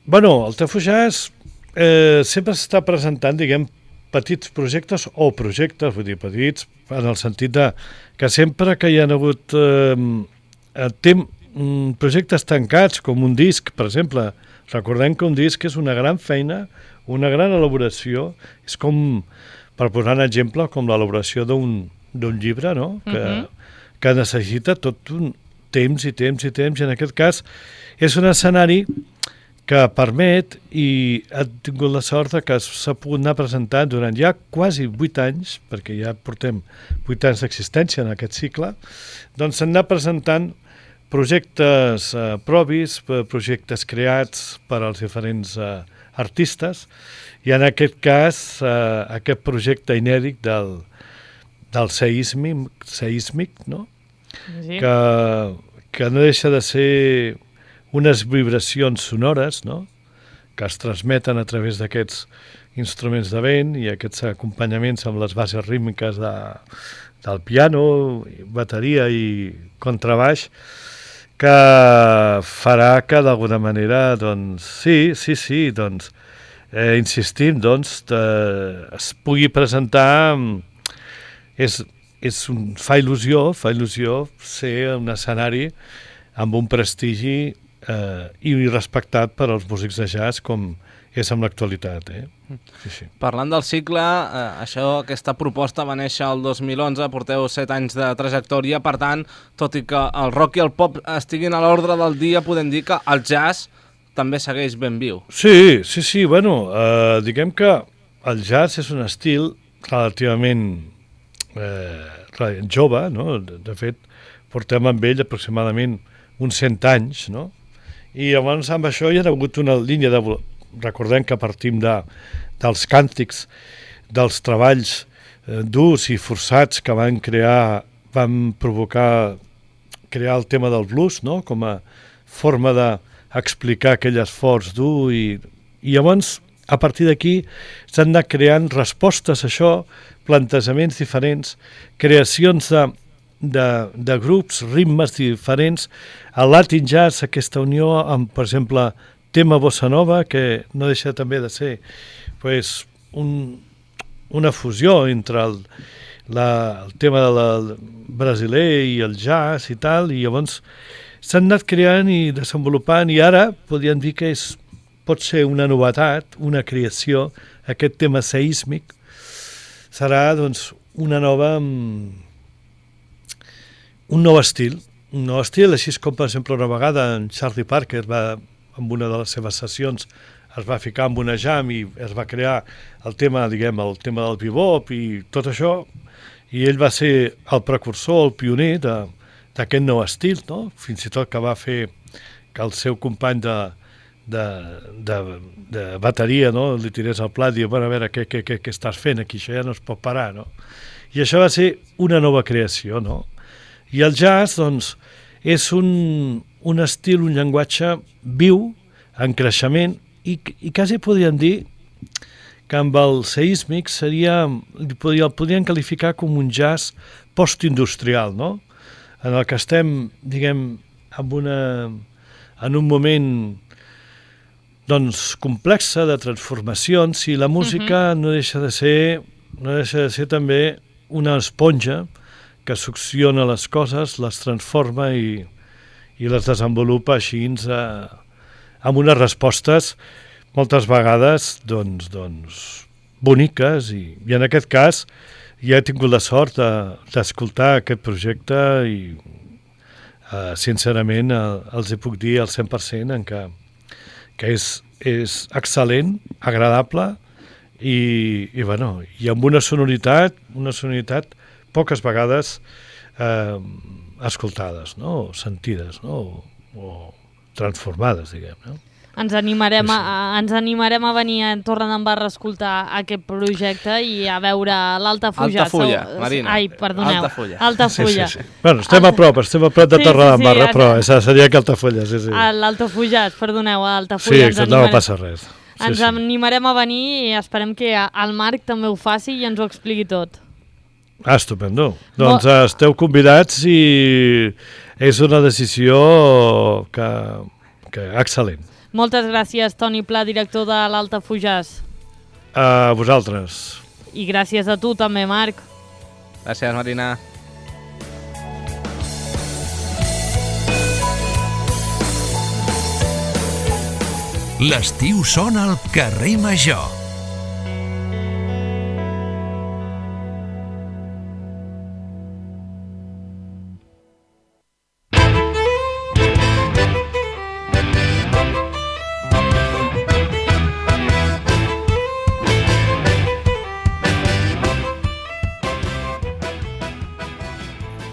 Speaker 10: Bueno, l'Altafulla sempre s'està presentant, diguem, petits projectes o projectes, vull dir, petits, en el sentit que sempre que hi ha hagut projectes tancats, com un disc, per exemple, recordem que un disc és una gran feina, una gran elaboració, és com, per posar un exemple, com l'elaboració d'un llibre, no?, que necessita tot un temps i temps i temps, i en aquest cas és un escenari que permet, i ha tingut la sort que s'ha pogut anar presentant durant ja quasi 8 anys, perquè ja portem 8 anys d'existència en aquest cicle, doncs s'han anat presentant projectes propis, projectes creats per als diferents artistes, i en aquest cas aquest projecte inèdit del seísmic, no? Sí. Que no deixa de ser unes vibracions sonores, no?, que es transmeten a través d'aquests instruments de vent i aquests acompanyaments amb les bases rítmiques del piano, bateria i contrabaix, que farà que d'alguna manera, doncs, sí, doncs, insistim, doncs, es pugui presentar, fa il·lusió ser un escenari amb un prestigi i respectat per als músics de jazz com és amb l'actualitat. Sí.
Speaker 9: Parlant del cicle, aquesta proposta va néixer el 2011, porteu 7 anys de trajectòria, per tant, tot i que el rock i el pop estiguin a l'ordre del dia, podem dir que el jazz també segueix ben viu.
Speaker 10: Sí, bueno, diguem que el jazz és un estil relativament jove, no? De fet, portem amb ell aproximadament uns 100 anys, no? I llavors amb això hi ha hagut una línia de... Recordem que partim dels càntics, dels treballs durs i forçats que van provocar crear el tema del blues, no? Com a forma d'explicar aquell esforç dur i llavors a partir d'aquí s'han anat creant respostes a això, plantejaments diferents, creacions de grups, ritmes diferents, el Latin Jazz, aquesta unió amb, per exemple, tema bossa nova, que no deixa també de ser pues, una fusió entre el tema del brasiler i el jazz i tal, i llavors s'han anat creant i desenvolupant, i ara podríem dir que pot ser una novetat, una creació, aquest tema seísmic, serà doncs, un nou estil, així com per exemple una vegada en Charlie Parker en una de les seves sessions es va ficar amb una jam i es va crear el tema del bebop i tot això, i ell va ser el precursor, el pioner d'aquest nou estil, no? Fins i tot que va fer que el seu company de bateria, no? Li tirés al plat i diu, a veure, què estàs fent aquí? Això ja no es pot parar, no? I això va ser una nova creació, no? I el jazz, doncs, és un estil, un llenguatge viu, en creixement, i quasi podríem dir que amb el seísmic el podríem qualificar com un jazz postindustrial, no? En el que estem, diguem, en un moment doncs, complexa de transformacions, i la música no deixa de ser també una esponja que succiona les coses, les transforma i les desenvolupa així amb unes respostes moltes vegades doncs, boniques, i en aquest cas ja he tingut la sort d'escoltar aquest projecte i sincerament els hi puc dir al 100% en que és excel·lent, agradable i amb una sonoritat poques vegades escoltades, no? O sentides, no? O transformades, diguem, no?
Speaker 2: Ens animarem a venir a Torredembarra a escoltar aquest projecte i a veure l'Altafulla.
Speaker 9: Altafulla, Marina.
Speaker 2: Ai, perdoneu.
Speaker 9: Altafulla.
Speaker 10: Sí. Bueno, estem a prop de Torredembarra, però seria que Altafulla, sí.
Speaker 2: L'Altafulla, perdoneu, Altafulla.
Speaker 10: Sí, que no passa res.
Speaker 2: Ens animarem a venir i esperem que el Marc també ho faci i ens ho expliqui tot.
Speaker 10: Estupendo. Doncs esteu convidats i és una decisió que excel·lent.
Speaker 2: Moltes gràcies, Toni Pla, director de l'Altafullàs.
Speaker 10: A vosaltres.
Speaker 2: I gràcies a tu també, Marc.
Speaker 9: Gràcies, Marina.
Speaker 1: L'estiu sona al carrer Major.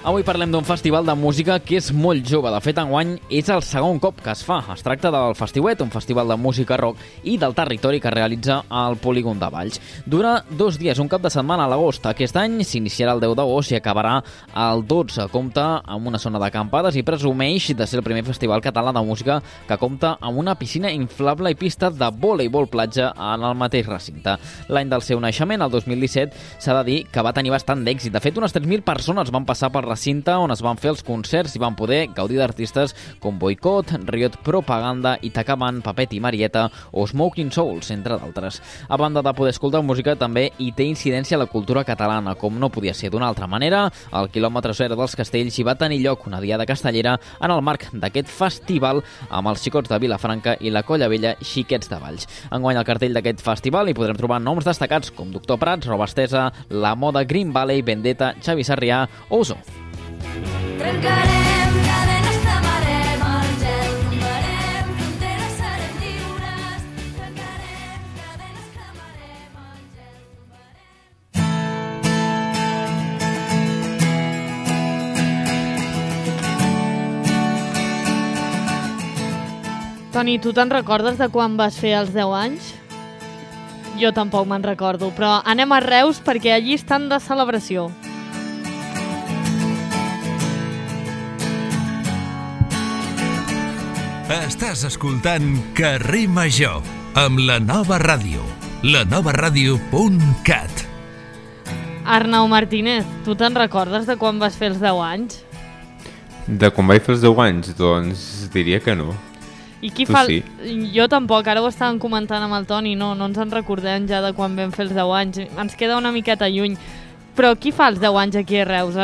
Speaker 11: Avui parlem d'un festival de música que és molt jove. De fet, enguany és el segon cop que es fa. Es tracta del Festiuet, un festival de música rock i del territori que realitza al Polígon de Valls. Dura 2 dies, un cap de setmana a l'agost. Aquest any s'iniciarà el 10 d'agost i acabarà el 12. Compta amb una zona d'acampades i presumeix de ser el primer festival català de música que compta amb una piscina inflable i pista de voleibol platja en el mateix recinte. L'any del seu naixement, el 2017, s'ha de dir que va tenir bastant d'èxit. De fet, unes 3.000 persones van passar per recinte on es van fer els concerts i van poder gaudir d'artistes com Boicot, Riot Propaganda, Itacaman, Papet i Marieta o Smoking Souls, entre d'altres. A banda de poder escoltar música, també hi té incidència la cultura catalana, com no podia ser d'una altra manera. Al quilòmetre 0 dels Castells hi va tenir lloc una diada castellera en el marc d'aquest festival amb els Xicots de Vilafranca i la Colla Vella Xiquets de Valls. Enguany al cartell d'aquest festival hi podrem trobar noms destacats com Doctor Prats, Roba Estesa, La Moda, Green Valley, Vendetta, Xavi Sarrià o Oso.
Speaker 12: Trencarem cadenes, tamarem el gel, tombarem fronteres, serem lliures. Trencarem cadenes, tamarem el gel, tombarem...
Speaker 2: Toni, tu te'n recordes de quan vas fer els 10 anys? Jo tampoc me'n recordo, però anem a Reus perquè allí estan de celebració.
Speaker 1: Estàs escoltant Carrer Major amb la Nova Ràdio, lanovaradio.cat.
Speaker 2: Arnau Martínez, tu te'n recordes de quan vas fer els 10 anys?
Speaker 8: De quan vaig fer els 10 anys? Doncs diria que no.
Speaker 2: I qui
Speaker 8: Tu
Speaker 2: fa...
Speaker 8: sí.
Speaker 2: Jo tampoc, ara ho estàvem comentant amb el Toni, no ens en recordem ja de quan vam fer els 10 anys. Ens queda una miqueta lluny. Però qui fa els 10 anys aquí a Reus?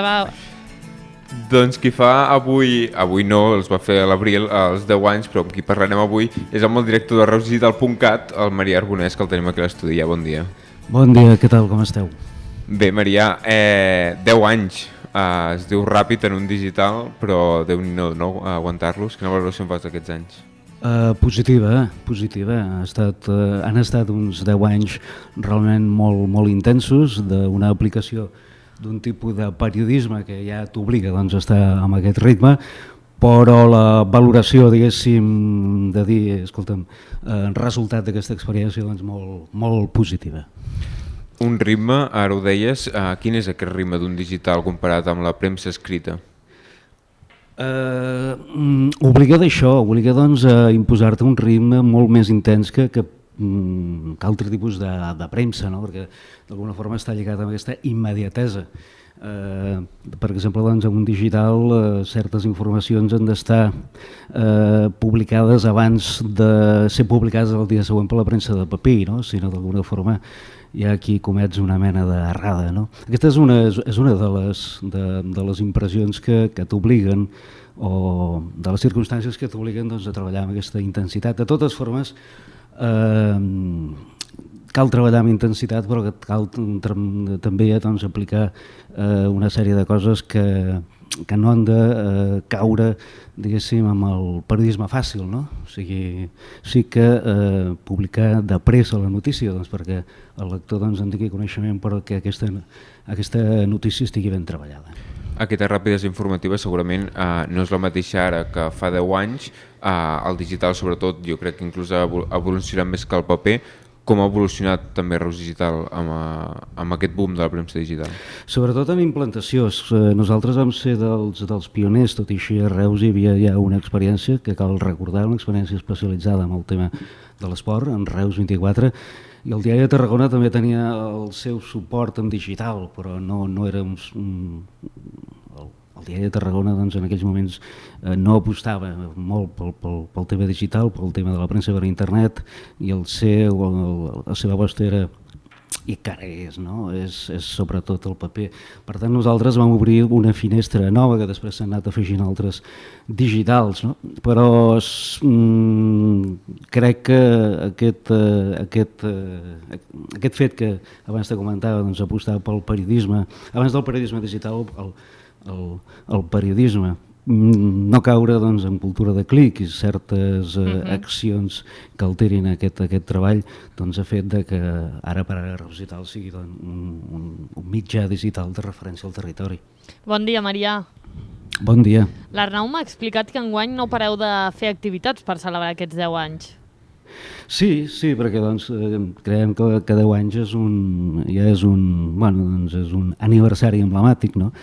Speaker 8: Doncs qui fa avui no, els va fer a l'abril, als 10 anys, però amb qui parlarem avui és amb el director de reusdigital.cat, el Marià Arbonès, que el tenim aquí a l'estudi. Ja, bon dia.
Speaker 13: Bon dia, què tal, com esteu?
Speaker 8: Bé, Marià, 10 anys, es diu ràpid en un digital, però Déu-n'hi-do, no, aguantar-los. Quina valoració en fas d'aquests anys?
Speaker 13: Positiva. Han estat uns 10 anys realment molt intensos d'una aplicació d'un tipus de periodisme que ja t'obliga doncs, a estar amb aquest ritme, però la valoració, diguéssim, de dir, escolta'm, resultat d'aquesta experiència doncs, molt positiva.
Speaker 8: Un ritme, ara ho deies, quin és aquest ritme d'un digital comparat amb la premsa escrita?
Speaker 13: Obliga doncs, a imposar-te un ritme molt més intens que altre tipus de premsa, no? Perquè d'alguna forma està lligat amb aquesta immediatesa. Per exemple, doncs, en un digital certes informacions han d'estar publicades abans de ser publicades el dia següent per la premsa de paper, no? Si no, d'alguna forma hi ha qui comets una mena d'errada, no? Aquesta és una de les impressions que t'obliguen, o de les circumstàncies que t'obliguen doncs, a treballar amb aquesta intensitat. De totes formes, cal treballar amb intensitat, però cal també doncs, aplicar una sèrie de coses que no han de caure, diguéssim, amb el periodisme fàcil, no? O sigui, sí que publicar de pressa la notícia, doncs, perquè el lector doncs, en tingui coneixement, però que aquesta notícia estigui ben treballada.
Speaker 8: Aquesta ràpidesa informativa segurament no és la mateixa ara que fa 10 anys. El digital, sobretot, jo crec que inclús ha evolucionat més que el paper. Com ha evolucionat també Reus Digital amb aquest boom de la premsa digital?
Speaker 13: Sobretot en implantació. Nosaltres vam ser dels pioners, tot i així a Reus hi havia ja una experiència que cal recordar, una experiència especialitzada en el tema de l'esport, en Reus 24, i el Diari de Tarragona també tenia el seu suport en digital, però no era el Diari de Tarragona doncs, en aquells moments no apostava molt pel tema digital, pel tema de la premsa per internet, i la seva aposta era, i encara és, no? És sobretot el paper. Per tant, nosaltres vam obrir una finestra nova que després s'han anat afegint altres digitals, no? Però crec que aquest fet que abans te comentava, doncs, apostar pel periodisme, abans del periodisme digital, el periodisme, no caure doncs, en cultura de clic i certes accions que alterin aquest treball, doncs, ha fet que ara per ara Reus Digital sigui un mitjà digital de referència al territori.
Speaker 2: Bon dia, Marià.
Speaker 13: Bon dia.
Speaker 2: L'Arnau m'ha explicat que enguany no pareu de fer activitats per celebrar aquests 10 anys.
Speaker 13: Sí, perquè doncs, creiem que 10 anys és un aniversari emblemàtic, no?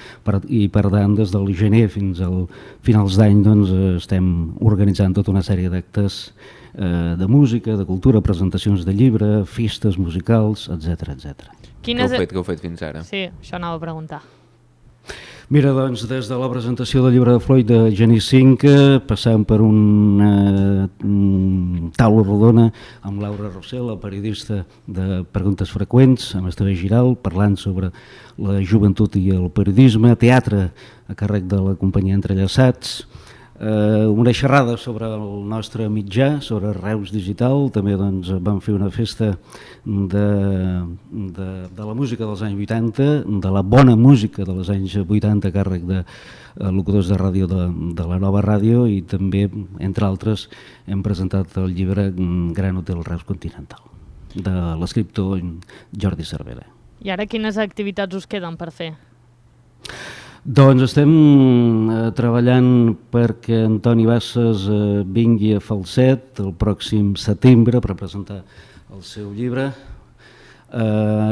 Speaker 13: I per tant, des del gener fins al finals d'any doncs, estem organitzant tota una sèrie d'actes de música, de cultura, presentacions de llibre, festes musicals, etc.
Speaker 8: Què heu fet fins ara?
Speaker 2: Sí, això anava a preguntar.
Speaker 13: Mira, doncs, des de la presentació del llibre de Floyd de Geni Cinca, passant per una taula rodona amb Laura Rossell, la periodista de Preguntes Freqüents, amb Esteve Giral, parlant sobre la joventut i el periodisme, teatre a càrrec de la companyia Entrellaçats, una xerrada sobre el nostre mitjà, sobre Reus Digital, també doncs, vam fer una festa de la música dels anys 80, de la bona música dels anys 80 a càrrec de locutors de ràdio de la Nova Ràdio, i també, entre altres, hem presentat el llibre Gran Hotel Reus Continental, de l'escriptor Jordi Cervera.
Speaker 2: I ara quines activitats us queden per fer?
Speaker 13: Doncs estem treballant perquè Antoni Bassas vingui a Falset el pròxim setembre per presentar el seu llibre.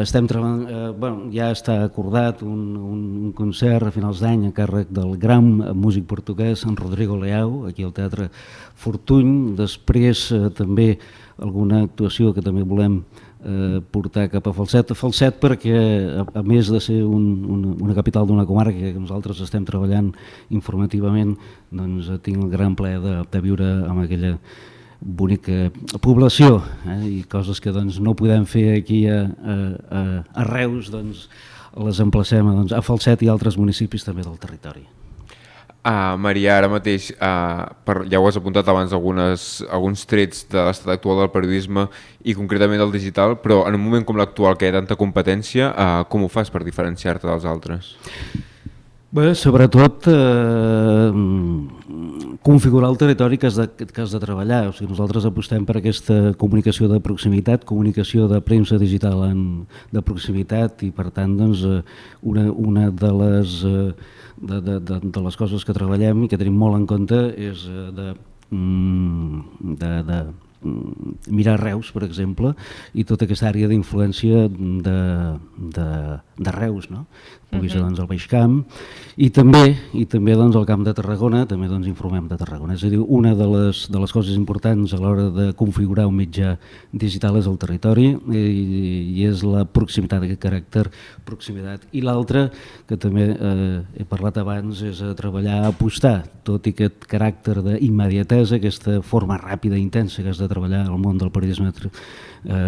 Speaker 13: Estem treballant, ja està acordat un concert a finals d'any a càrrec del gran músic portuguès en Rodrigo Leao, aquí al Teatre Fortuny. Després també alguna actuació que també volem portar cap a Falset. Falset perquè, a més de ser una capital d'una comarca que nosaltres estem treballant informativament, doncs tinc el gran plaer de viure amb aquella bonica població, i coses que doncs, no podem fer aquí a Reus, doncs, les emplacem a Falset i altres municipis també del territori.
Speaker 8: Maria, ara mateix, ja ho has apuntat abans, alguns trets de l'estat actual del periodisme i concretament del digital, però en un moment com l'actual, que hi ha tanta competència, com ho fas per diferenciar-te dels altres?
Speaker 13: Bé, sobretot configurar el territori que has de treballar. O sigui, nosaltres apostem per aquesta comunicació de proximitat, comunicació de premsa digital de proximitat, i per tant doncs, una de les coses que treballem i que tenim molt en compte és de mirar Reus, per exemple, i tota aquesta àrea d'influència de Reus, no? Pugui ser doncs, el Baix Camp, i també doncs, el Camp de Tarragona, també doncs, informem de Tarragona. És a dir, una de les coses importants a l'hora de configurar un mitjà digital és el territori i és la proximitat, aquest caràcter proximitat. I l'altre, que també he parlat abans, és treballar, apostar, tot i aquest caràcter d'immediatesa, aquesta forma ràpida i intensa que has de treballar al món del periodisme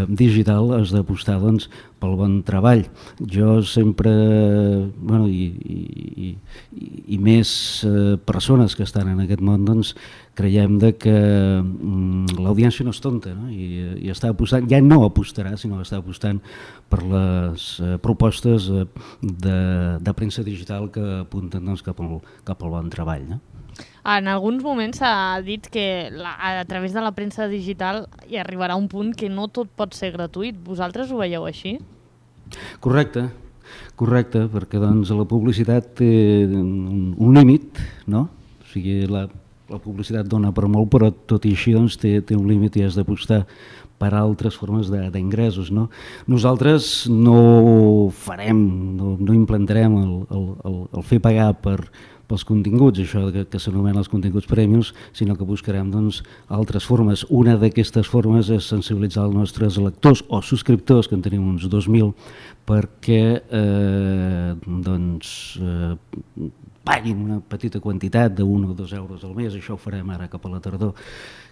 Speaker 13: digital, has d'apostar doncs, pel bon treball. Jo sempre, i més persones que estan en aquest món, doncs, creiem que l'audiència no és tonta, no? I està apostant, ja no apostarà, sinó que està apostant per les propostes de premsa digital que apunten doncs, cap al bon treball, no?
Speaker 2: En alguns moments s'ha dit que a través de la premsa digital hi arribarà un punt que no tot pot ser gratuït. Vosaltres ho veieu així?
Speaker 13: Correcte, perquè doncs, la publicitat té un límit, no? O sigui, la publicitat dona per molt, però tot i així doncs, té un límit i has d'apostar per altres formes d'ingressos, no? Nosaltres no farem, no implantarem el fer pagar pels continguts, això que s'anomena els continguts premiums, sinó que buscarem doncs, altres formes. Una d'aquestes formes és sensibilitzar els nostres lectors o subscriptors, que en tenim uns 2.000, perquè paguin una petita quantitat de 1 o 2 euros al mes. Això ho farem ara cap a la tardor,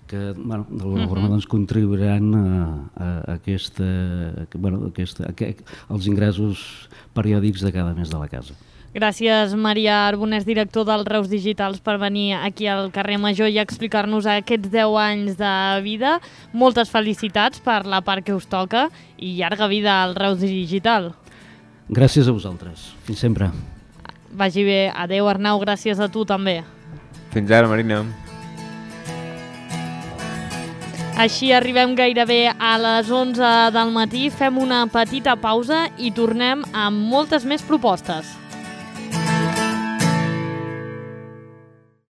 Speaker 13: que d'alguna forma doncs, contribuiran a als ingressos periòdics de cada mes de la casa.
Speaker 2: Gràcies, Maria Arbonès, director del Reus Digitals, per venir aquí al carrer Major i explicar-nos aquests 10 anys de vida. Moltes felicitats per la part que us toca i llarga vida al Reus Digital.
Speaker 13: Gràcies a vosaltres. Fins sempre.
Speaker 2: Vagi bé. Adéu, Arnau. Gràcies a tu també.
Speaker 8: Fins ara, Marina.
Speaker 2: Així arribem gairebé a les 11 del matí. Fem una petita pausa i tornem amb moltes més propostes.